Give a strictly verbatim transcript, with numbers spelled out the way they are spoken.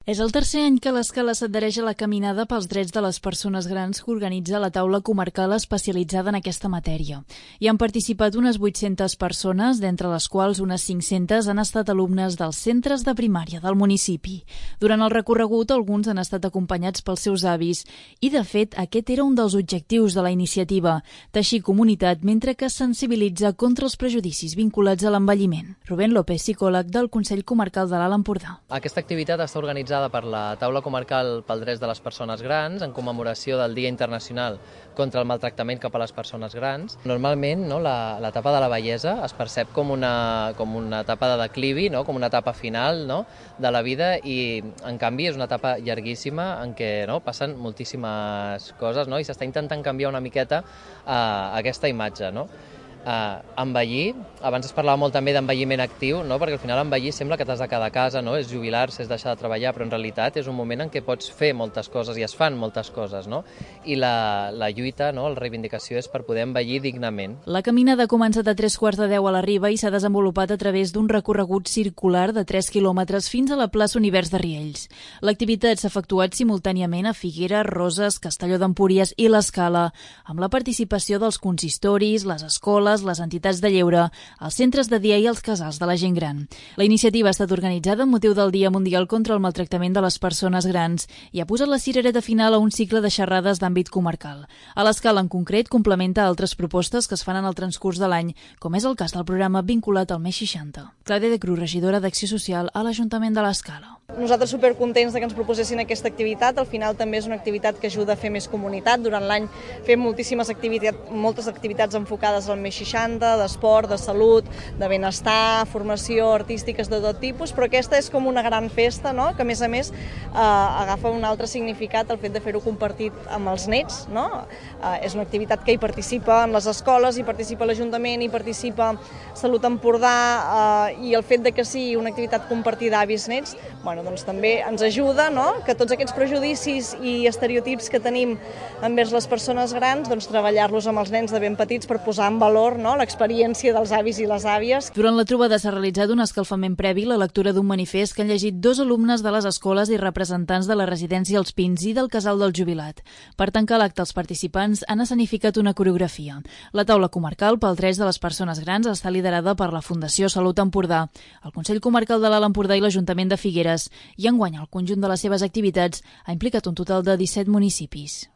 És el tercer any que l'Escala s'adhereix a la caminada pels drets de les persones grans que organitza la taula comarcal especialitzada en aquesta matèria. Hi han participat unes vuit-centes persones, d'entre les quals unes cinc-centes han estat alumnes dels centres de primària del municipi. Durant el recorregut, alguns han estat acompanyats pels seus avis i, de fet, aquest era un dels objectius de la iniciativa, teixir comunitat mentre que es sensibilitza contra els prejudicis vinculats a l'envelliment. Rubén López, psicòleg del Consell Comarcal de l'Alt Empordà. Aquesta activitat està organitzada per la Taula Comarcal pel Drets de les Persones Grans en commemoració del Dia Internacional contra el Maltractament cap a les Persones Grans. Normalment, no, l'etapa de la vellesa es percep com una, com una etapa de declivi, no, com una etapa final, no, de la vida i, en canvi, és una etapa llarguíssima en què, no, passen moltíssimes coses, no, i s'està intentant canviar una miqueta uh, aquesta imatge, no? Uh, envellir, abans es parlava molt també d'envelliment actiu, no? Perquè al final envellir sembla que t'has de quedar a casa, no? És jubilar-se, és deixar de treballar, però en realitat és un moment en què pots fer moltes coses i es fan moltes coses, no? I la, la lluita, no? La reivindicació és per poder envellir dignament. La caminada ha començat a tres quarts de deu a la Riba i s'ha desenvolupat a través d'un recorregut circular de tres quilòmetres fins a la plaça Univers de Riells. L'activitat s'ha efectuat simultàniament a Figueres, Roses, Castelló d'Empúries i l'Escala, amb la participació dels consistoris, les escoles, les entitats de lleure, els centres de dia i els casals de la gent gran. La iniciativa ha estat organitzada amb motiu del Dia Mundial contra el Maltractament de les Persones Grans i ha posat la cirereta final a un cicle de xerrades d'àmbit comarcal. A l'Escala, en concret, complementa altres propostes que es fan en el transcurs de l'any, com és el cas del programa vinculat al més seixanta. Clàudia de Cruz, regidora d'Acció Social a l'Ajuntament de l'Escala. Nosaltres supercontents de que ens proposessin aquesta activitat. Al final també és una activitat que ajuda a fer més comunitat. Durant l'any fem moltíssimes activitats, moltes activitats enfocades al més seixanta, d'esport, de salut, de benestar, formació, artístiques de tot tipus, però aquesta és com una gran festa, no? Que a més a més eh, agafa un altre significat el fet de fer-ho compartit amb els nets, no? Eh, és una activitat que hi participa en les escoles, hi participa l'Ajuntament, hi participa Salut Empordà eh, i el fet de que sigui una activitat compartida avis-nets, bueno, doncs també ens ajuda, no? Que tots aquests prejudicis i estereotips que tenim envers les persones grans, doncs treballar-los amb els nens de ben petits per posar en valor, no? L'experiència dels avis i les àvies. Durant la trobada s'ha realitzat un escalfament previ, la lectura d'un manifest que han llegit dos alumnes de les escoles i representants de la residència Els Pins i del Casal del Jubilat. Per tancar l'acte, els participants han escenificat una coreografia. La taula comarcal pels drets de les persones grans està liderada per la Fundació Salut Empordà, el Consell Comarcal de l'Alt Empordà i l'Ajuntament de Figueres, i enguany el conjunt de les seves activitats ha implicat un total de disset municipis.